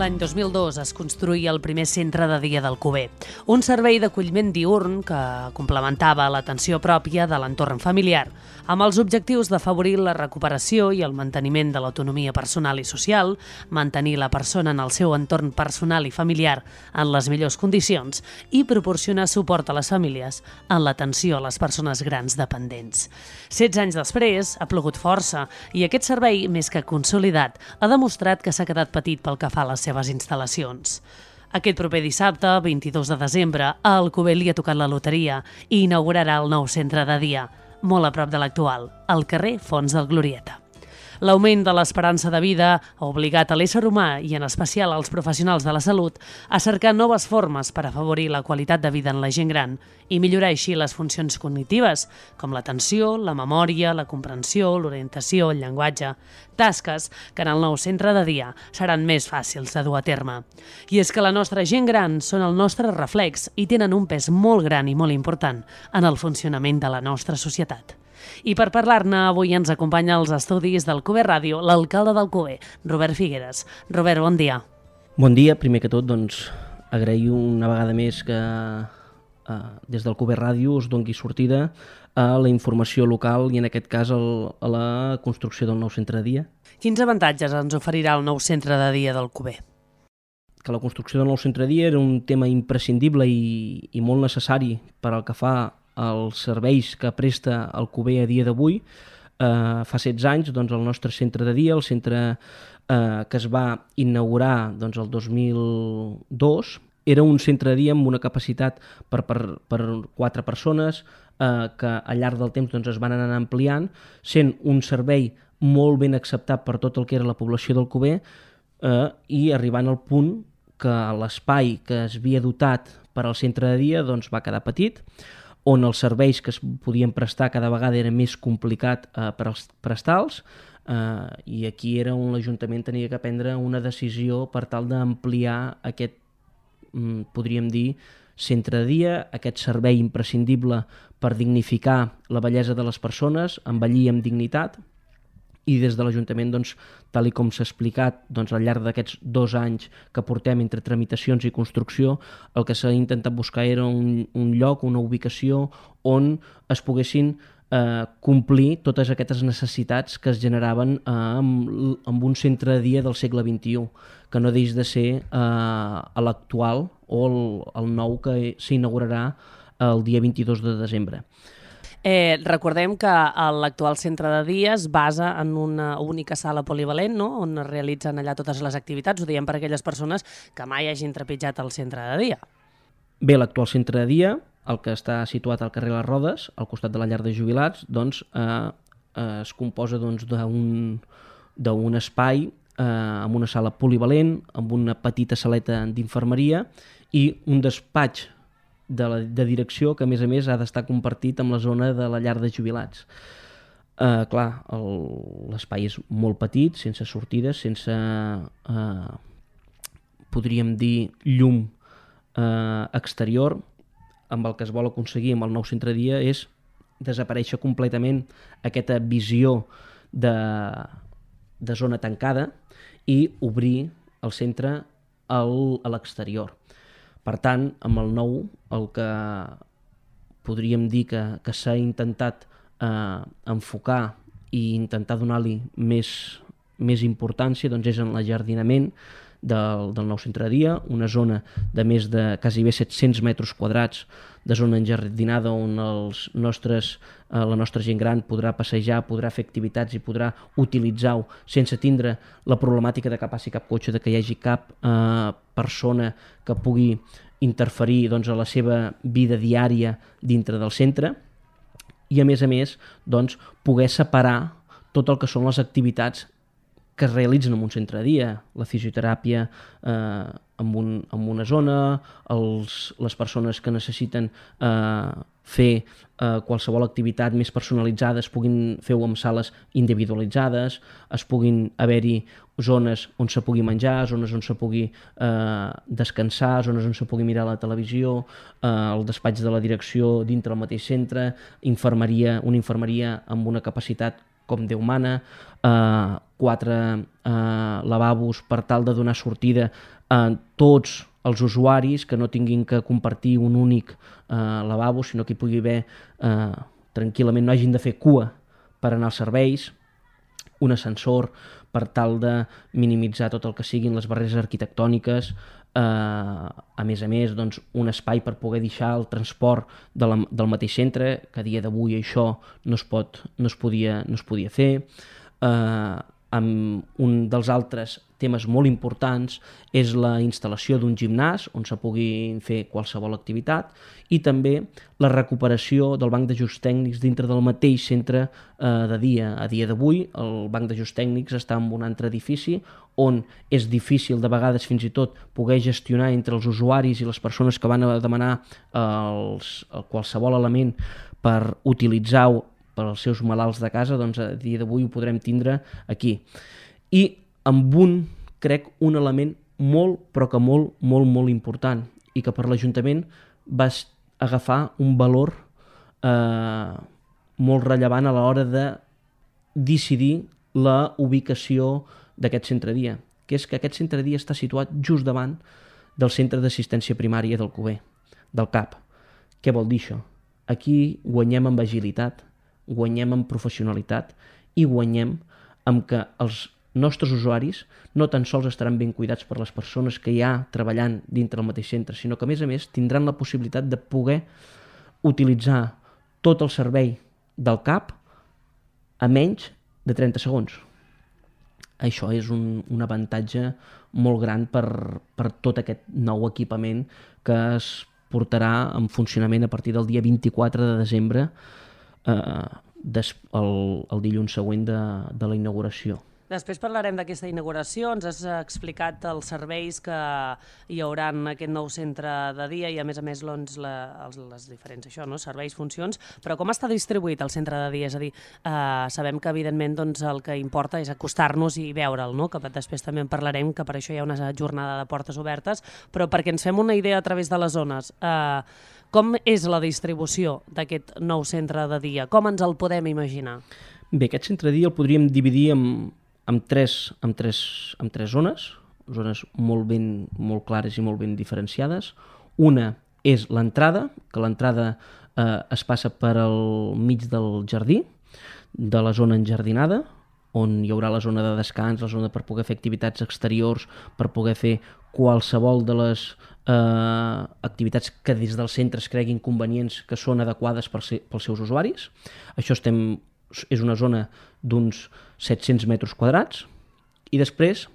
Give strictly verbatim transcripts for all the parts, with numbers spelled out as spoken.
L'any dos mil dos es construïa el primer centre de dia d'Alcover, un servei d'acolliment diürn que complementava l'atenció pròpia de l'entorn familiar, amb els objectius d'afavorir la recuperació i el manteniment de l'autonomia personal i social, mantenir la persona en el seu entorn personal i familiar en les millors condicions i proporcionar suport a les famílies en l'atenció a les persones grans dependents. setze anys després ha plogut força i aquest servei, més que consolidat, ha demostrat que s'ha quedat petit pel que fa a les seves instal·lacions. Aquest proper dissabte, vint-i-dos de desembre, a Alcover li ha tocat la loteria i inaugurarà el nou centre de dia, molt a prop de l'actual, al carrer Fons del Glorieta. L'augment de l'esperança de vida ha obligat a l'ésser humà, i en especial als professionals de la salut, a cercar noves formes per afavorir la qualitat de vida en la gent gran i millorar així les funcions cognitives, com l'atenció, la memòria, la comprensió, l'orientació, el llenguatge, tasques que en el nou centre de dia seran més fàcils de dur a terme. I és que la nostra gent gran són el nostre reflex i tenen un pes molt gran i molt important en el funcionament de la nostra societat. I per parlar-ne, avui ens acompanya als estudis d'Alcover Ràdio l'alcalde d'Alcover, Robert Figueres. Robert, bon dia. Bon dia. Primer que tot, doncs, agraïo una vegada més que eh, des d'Alcover Ràdio us doni sortida a la informació local i en aquest cas el, a la construcció del nou centre de dia. Quins avantatges ens oferirà el nou centre de dia d'Alcover? Que la construcció del nou centre de dia era un tema imprescindible i, i molt necessari per al que fa els serveis que presta Alcover a dia d'avui. Eh, fa setze anys, doncs, el nostre centre de dia, el centre eh, que es va inaugurar doncs, el dos mil dos, era un centre de dia amb una capacitat per, per, per quatre persones eh, que al llarg del temps doncs, es van anar ampliant, sent un servei molt ben acceptat per tot el que era la població d'Alcover eh, i arribant al punt que l'espai que es havia dotat per al centre de dia doncs, va quedar petit, on els serveis que es podien prestar cada vegada era més complicat eh, per als prestals, eh, i aquí era on l'Ajuntament tenia que prendre una decisió per tal d'ampliar aquest, mm, podríem dir, centre de dia, aquest servei imprescindible per dignificar la bellesa de les persones, envellir amb dignitat. I des de l'Ajuntament, doncs, tal com s'ha explicat doncs, al llarg d'aquests dos anys que portem entre tramitacions i construcció, el que s'ha intentat buscar era un, un lloc, una ubicació on es poguessin eh, complir totes aquestes necessitats que es generaven eh, amb, amb un centre de dia del segle vint-i-u, que no deix de ser eh, l'actual o el, el nou que s'inaugurarà el dia vint-i-dos de desembre. Eh, recordem que l'actual centre de dia es basa en una única sala polivalent, no?, on es realitzen allà totes les activitats. Ho diem per a aquelles persones que mai hagin trepitjat el centre de dia. Bé, l'actual centre de dia, el que està situat al carrer Les Rodes, al costat de la llar de jubilats, doncs, eh, eh, es composa doncs, d'un d'un espai eh, amb una sala polivalent, amb una petita saleta d'infermeria i un despatx De, la, de direcció que a més a més ha d'estar compartit amb la zona de la llar de jubilats. Eh, clar, l'espai és molt petit, sense sortides, sense, eh, podríem dir, llum eh, exterior. Amb el que es vol aconseguir amb el nou centre de dia és desaparèixer completament aquesta visió de, de zona tancada i obrir el centre al, a l'exterior. Per tant, amb el nou, el que podríem dir que, que s'ha intentat eh, enfocar i intentar donar-li més, més importància doncs és en l'ajardinament del, del nou centre de dia, una zona de més de quasi bé set-cents metres quadrats de zona enjardinada on els nostres, eh, la nostra gent gran podrà passejar, podrà fer activitats i podrà utilitzar-ho sense tindre la problemàtica de que passi cap cotxe, de que hi hagi cap eh, persona que pugui interferir doncs, a la seva vida diària dintre del centre i a més a més doncs, poder separar tot el que són les activitats que es realitzen en un centre de dia, la fisioteràpia eh, en, un, en una zona, els, les persones que necessiten eh, fer eh, qualsevol activitat més personalitzada es puguin fer-ho en sales individualitzades, es puguin haver-hi zones on se pugui menjar, zones on se pugui eh, descansar, zones on se pugui mirar la televisió, eh, el despatx de la direcció dintre del mateix centre, infermeria, una infermeria amb una capacitat com Déu mana, eh, quatre eh, lavabos per tal de donar sortida a tots els usuaris, que no tinguin que compartir un únic eh, lavabo, sinó que hi pugui haver eh, tranquil·lament, no hagin de fer cua per anar als serveis, un ascensor per tal de minimitzar tot el que siguin les barreres arquitectòniques, eh, a més a més doncs, un espai per poder deixar el transport de la, del mateix centre, que a dia d'avui això no es, pot, no es, podia, no es podia fer. Eh, amb un dels altres temes molt importants és la instal·lació d'un gimnàs on se pugui fer qualsevol activitat i també la recuperació del banc d'ajuts tècnics dintre del mateix centre eh, de dia. A dia d'avui el banc d'ajuts tècnics està en un altre edifici on és difícil de vegades fins i tot poder gestionar entre els usuaris i les persones que van a demanar els, qualsevol element per utilitzar-ho per als seus malalts de casa, doncs a dia d'avui ho podrem tindre aquí. I amb un, crec, un element molt, però que molt, molt, molt important i que per l'Ajuntament va agafar un valor eh, molt rellevant a l'hora de decidir la ubicació d'aquest centre dia, que és que aquest centre dia està situat just davant del centre d'assistència primària del Cuber, del C A P. Què vol dir això? Aquí guanyem amb agilitat, guanyem en professionalitat i guanyem amb que els nostres usuaris no tan sols estaran ben cuidats per les persones que hi ha treballant dintre del mateix centre, sinó que a més a més tindran la possibilitat de poder utilitzar tot el servei del C A P a menys de trenta segons. Això és un, un avantatge molt gran per, per tot aquest nou equipament que es portarà en funcionament a partir del dia vint-i-quatre de desembre, Eh, des, el, el dilluns següent de, de la inauguració. Després parlarem d'aquesta inauguració, ens has explicat els serveis que hi haurà en aquest nou centre de dia i a més a més doncs, la, els, les diferents això, no? serveis, funcions, però com està distribuït el centre de dia? És a dir, eh, sabem que evidentment doncs, el que importa és acostar-nos i veure'l, no? Que després també en parlarem, que per això hi ha una jornada de portes obertes, però perquè ens fem una idea a través de les zones, eh, com és la distribució d'aquest nou centre de dia? Com ens el podem imaginar? Bé, aquest centre de dia el podríem dividir en, en, tres, en, tres, en tres zones, zones molt, ben, molt clares i molt ben diferenciades. Una és l'entrada, que l'entrada eh, es passa per al mig del jardí, de la zona enjardinada, on hi haurà la zona de descans, la zona per poder fer activitats exteriors, per poder fer qualsevol de les eh, activitats que des del centre es creguin convenients que són adequades per ser, pels seus usuaris. Això estem, és una zona d'uns set-cents metres quadrats i després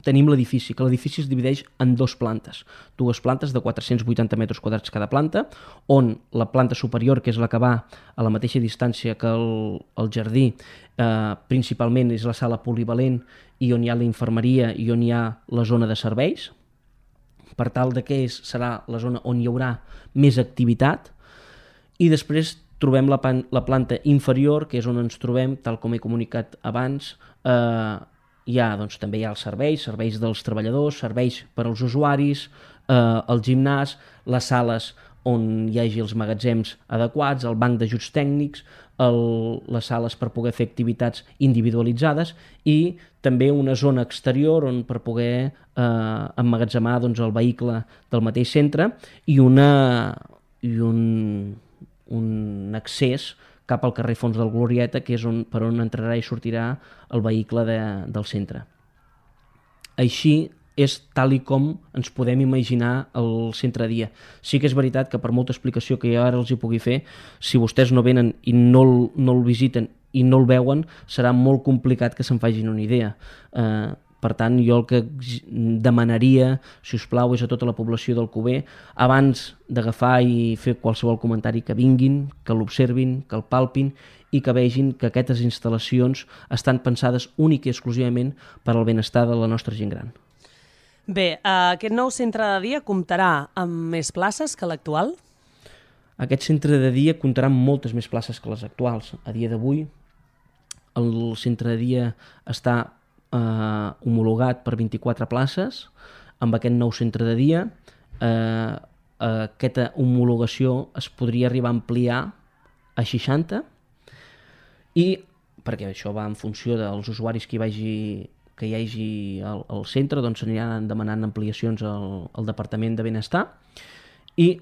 tenim l'edifici, que l'edifici es divideix en dues plantes, dues plantes de quatre-cents vuitanta metres quadrats cada planta, on la planta superior, que és la que va a la mateixa distància que el, el jardí, eh, principalment és la sala polivalent i on hi ha la infermeria i on hi ha la zona de serveis, per tal de que és, serà la zona on hi haurà més activitat, i després trobem la, pan, la planta inferior, que és on ens trobem, tal com he comunicat abans, eh, hi ha, doncs, també hi ha els serveis, serveis dels treballadors, serveis per als usuaris, eh, el gimnàs, les sales on hi hagi els magatzems adequats, el banc d'ajuts tècnics, el, les sales per poder fer activitats individualitzades i també una zona exterior on per poder eh, emmagatzemar doncs, el vehicle del mateix centre i, una, i un, un accés cap al carrer Fons del Glorieta, que és on, per on entrarà i sortirà el vehicle de, del centre. Així és tal i com ens podem imaginar el centre dia. Sí que és veritat que per molta explicació que jo ara els hi pugui fer, si vostès no venen i no el, no el visiten i no el veuen, serà molt complicat que se'n facin una idea. Eh, Per tant, jo el que demanaria, si us plau, és a tota la població del Cuber, abans d'agafar i fer qualsevol comentari, que vinguin, que l'observin, que el palpin i que vegin que aquestes instal·lacions estan pensades únic i exclusivament per al benestar de la nostra gent gran. Bé, aquest nou centre de dia comptarà amb més places que l'actual? Aquest centre de dia comptarà amb moltes més places que les actuals. A dia d'avui, el centre de dia està Uh, homologat per vint-i-quatre places. Amb aquest nou centre de dia uh, uh, aquesta homologació es podria arribar a ampliar a seixanta i perquè això va en funció dels usuaris que hi vagi que hi hagi al, al centre, doncs s'aniran demanant ampliacions al, al Departament de Benestar, i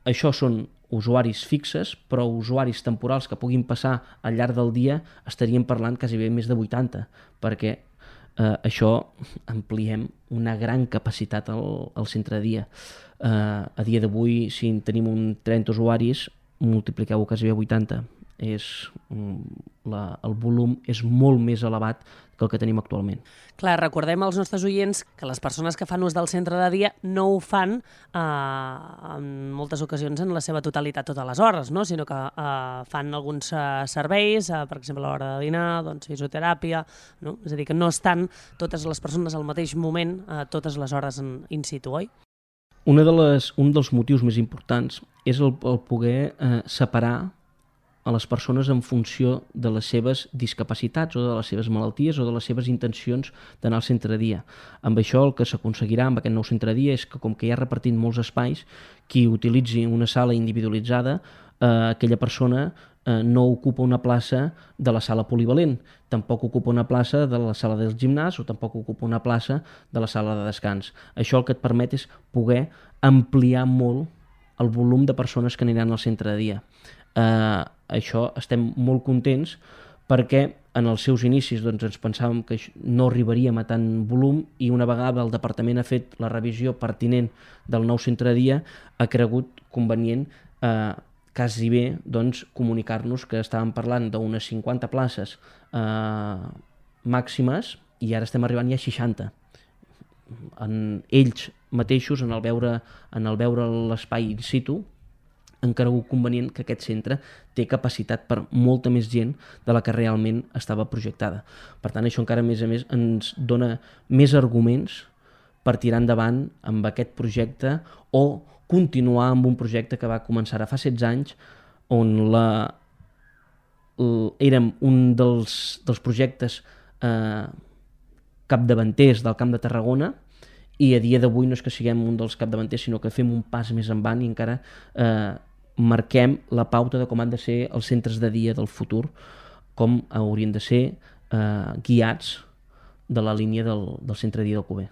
això són usuaris fixes, però usuaris temporals que puguin passar al llarg del dia estaríem parlant quasi bé més de vuitanta, perquè eh, això ampliem una gran capacitat al, al centre de dia. Eh, a dia d'avui, si tenim un trenta usuaris, multipliqueu-ho quasi bé vuitanta. És, la, el volum és molt més elevat que el que tenim actualment. Clar, recordem als nostres oients que les persones que fan ús del centre de dia no ho fan eh, en moltes ocasions en la seva totalitat totes les hores, no? Sinó que eh, fan alguns eh, serveis, eh, per exemple a l'hora de dinar, doncs fisioteràpia, no? És a dir, que no estan totes les persones al mateix moment, eh, totes les hores en in situ, oi? Una de les, un dels motius més importants és el, el poder eh, separar a les persones en funció de les seves discapacitats o de les seves malalties o de les seves intencions d'anar al centre de dia. Amb això el que s'aconseguirà amb aquest nou centre de dia és que, com que hi ha repartit molts espais, qui utilitzi una sala individualitzada, eh, aquella persona eh, no ocupa una plaça de la sala polivalent, tampoc ocupa una plaça de la sala del gimnàs o tampoc ocupa una plaça de la sala de descans. Això el que et permet és poder ampliar molt el volum de persones que aniran al centre de dia. Eh, això estem molt contents perquè en els seus inicis doncs, ens pensàvem que no arribaríem a tant volum, i una vegada el departament ha fet la revisió pertinent del nou centre de dia ha cregut convenient eh, quasi bé doncs, comunicar-nos que estàvem parlant d'unes cinquanta places eh, màximes i ara estem arribant ja a seixanta. En ells mateixos, en el veure, en el veure l'espai in situ, han cregut convenient que aquest centre té capacitat per molta més gent de la que realment estava projectada. Per tant, això encara més a més ens dona més arguments per tirar endavant amb aquest projecte o continuar amb un projecte que va començar fa setze anys, on la, l, érem un dels, dels projectes eh, capdavanters del Camp de Tarragona, i a dia d'avui no és que siguem un dels capdavanters, sinó que fem un pas més endavant i encara eh, marquem la pauta de com han de ser els centres de dia del futur, com haurien de ser eh, guiats de la línia del, del centre de dia del Cuber.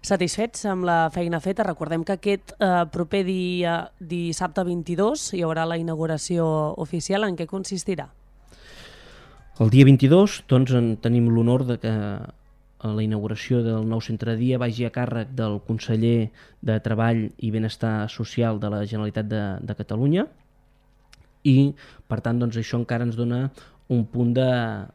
Satisfets amb la feina feta? Recordem que aquest eh, proper dia, dissabte vint-i-dos, hi haurà la inauguració oficial. En què consistirà? El dia vint-i-dos doncs, en tenim l'honor de que la inauguració del nou centre de dia vagi a càrrec del conseller de Treball i Benestar Social de la Generalitat de, de Catalunya, i per tant doncs, això encara ens dona un punt de,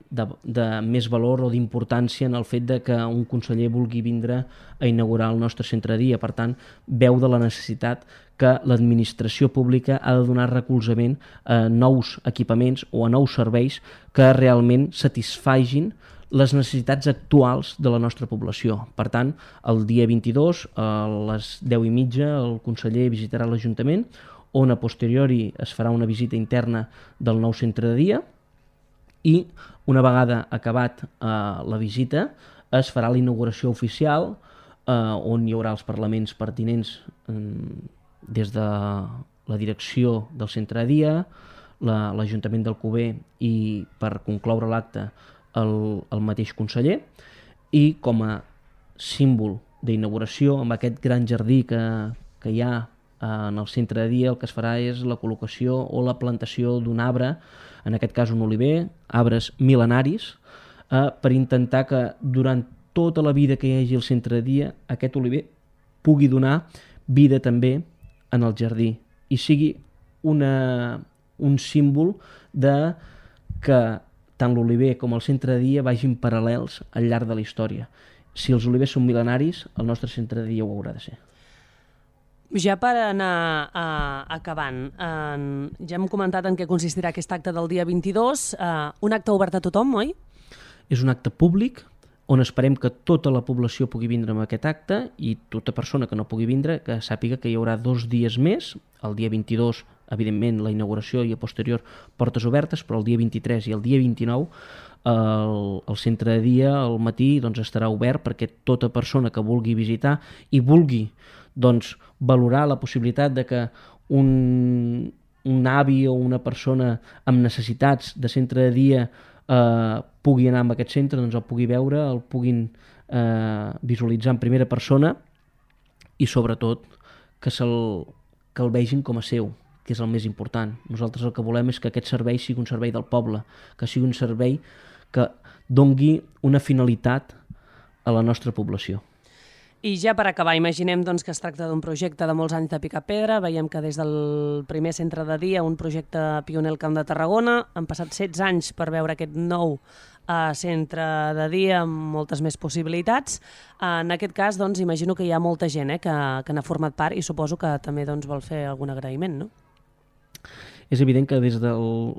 de, de més valor o d'importància en el fet de que un conseller vulgui vindre a inaugurar el nostre centre de dia. Per tant, veu de la necessitat que l'administració pública ha de donar recolzament a nous equipaments o a nous serveis que realment satisfagin les necessitats actuals de la nostra població. Per tant, el dia vint-i-dos, a les deu i mitja, el conseller visitarà l'Ajuntament, on a posteriori es farà una visita interna del nou centre de dia, i una vegada acabat eh, la visita es farà la inauguració oficial, eh, on hi haurà els parlaments pertinents eh, des de la direcció del centre de dia, l'Ajuntament del Cuber i, per concloure l'acte, El, el mateix conseller, i com a símbol d'inauguració amb aquest gran jardí que, que hi ha en el centre de dia, el que es farà és la col·locació o la plantació d'un arbre, en aquest cas un oliver, arbres mil·lenaris, eh, per intentar que durant tota la vida que hi hagi al centre de dia aquest oliver pugui donar vida també en el jardí i sigui una, un símbol de que tant l'oliver com el centre de dia vagin paral·lels al llarg de la història. Si els olivers són mil·lenaris, el nostre centre de dia ho haurà de ser. Ja per anar uh, acabant, uh, ja hem comentat en què consistirà aquest acte del dia vint-i-dos. Uh, un acte obert a tothom, oi? És un acte públic on esperem que tota la població pugui vindre amb aquest acte, i tota persona que no pugui vindre que sàpiga que hi haurà dos dies més, el dia vint-i-dos, evidentment, la inauguració i a posterior portes obertes, però el dia vint-i-tres i el dia vint-i-nou el, el centre de dia al matí doncs, estarà obert perquè tota persona que vulgui visitar i vulgui doncs, valorar la possibilitat de que un, un avi o una persona amb necessitats de centre de dia eh, pugui anar a aquest centre, doncs el pugui veure, el puguin eh, visualitzar en primera persona i sobretot que, se'l, que el vegin com a seu, que és el més important. Nosaltres el que volem és que aquest servei sigui un servei del poble, que sigui un servei que dongui una finalitat a la nostra població. I ja per acabar, imaginem doncs, que es tracta d'un projecte de molts anys de picar pedra. Veiem que des del primer centre de dia, un projecte pioner al Camp de Tarragona, han passat setze anys per veure aquest nou eh, centre de dia amb moltes més possibilitats. En aquest cas, doncs, imagino que hi ha molta gent eh, que, que n'ha format part i suposo que també doncs, vol fer algun agraïment, no? És evident que des de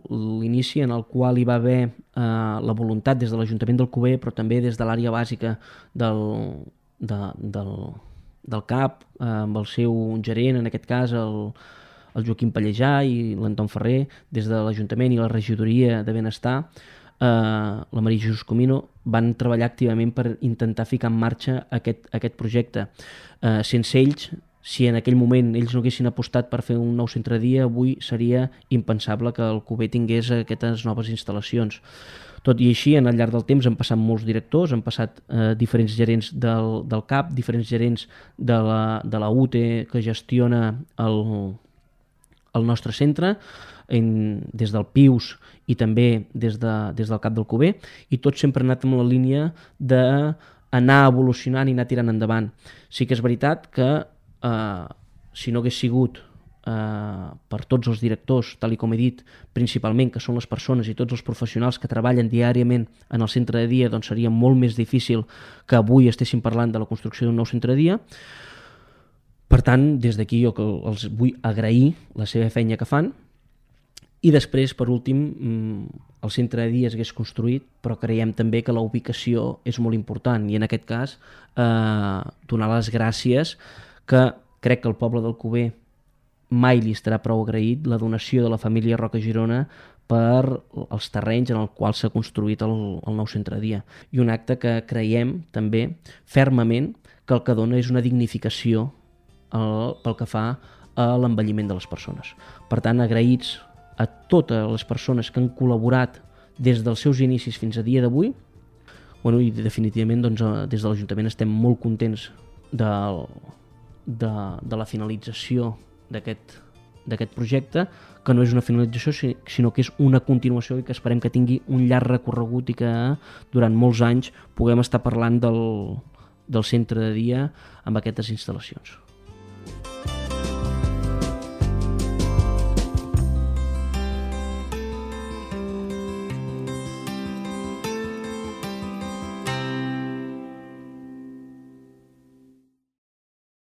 l'inici en el qual hi va haver eh, la voluntat des de l'Ajuntament d'Alcover, però també des de l'àrea bàsica del, de, del, del C A P, eh, amb el seu gerent, en aquest cas el, el Joaquim Pallejà i l'Anton Ferrer, des de l'Ajuntament i la Regidoria de Benestar, eh, la Maria Jesús Comino, van treballar activament per intentar ficar en marxa aquest, aquest projecte. Eh, sense ells, si en aquell moment ells no haguessin apostat per fer un nou centre de dia, avui seria impensable que Alcover tingués aquestes noves instal·lacions. Tot i així, en el llarg del temps han passat molts directors, han passat eh, diferents gerents del, del C A P, diferents gerents de la, de la U T E que gestiona el, el nostre centre, en, des del P I U S i també des, de, des del C A P d'Alcover, i tots sempre han anat amb la línia d'anar evolucionant i anar tirant endavant. Sí que és veritat que Uh, si no hagués sigut uh, per tots els directors, tal i com he dit, principalment, que són les persones i tots els professionals que treballen diàriament en el centre de dia, doncs seria molt més difícil que avui estéssim parlant de la construcció d'un nou centre de dia. Per tant, des d'aquí jo els vull agrair la seva feina que fan. I després, per últim, el centre de dia s'hagués construït, però creiem també que la ubicació és molt important i en aquest cas eh, donar les gràcies, que crec que el poble d'Alcover mai li estarà prou agraït la donació de la família Roca Girona per els terrenys en els quals s'ha construït el, el nou centre de dia. I un acte que creiem també fermament que el que dona és una dignificació el, pel que fa a l'envelliment de les persones. Per tant, agraïts a totes les persones que han col·laborat des dels seus inicis fins a dia d'avui. Bueno, i definitivament doncs, des de l'Ajuntament estem molt contents del De, de la finalització d'aquest d'aquest projecte, que no és una finalització sinó que és una continuació i que esperem que tingui un llarg recorregut i que durant molts anys puguem estar parlant del, del centre de dia amb aquestes instal·lacions.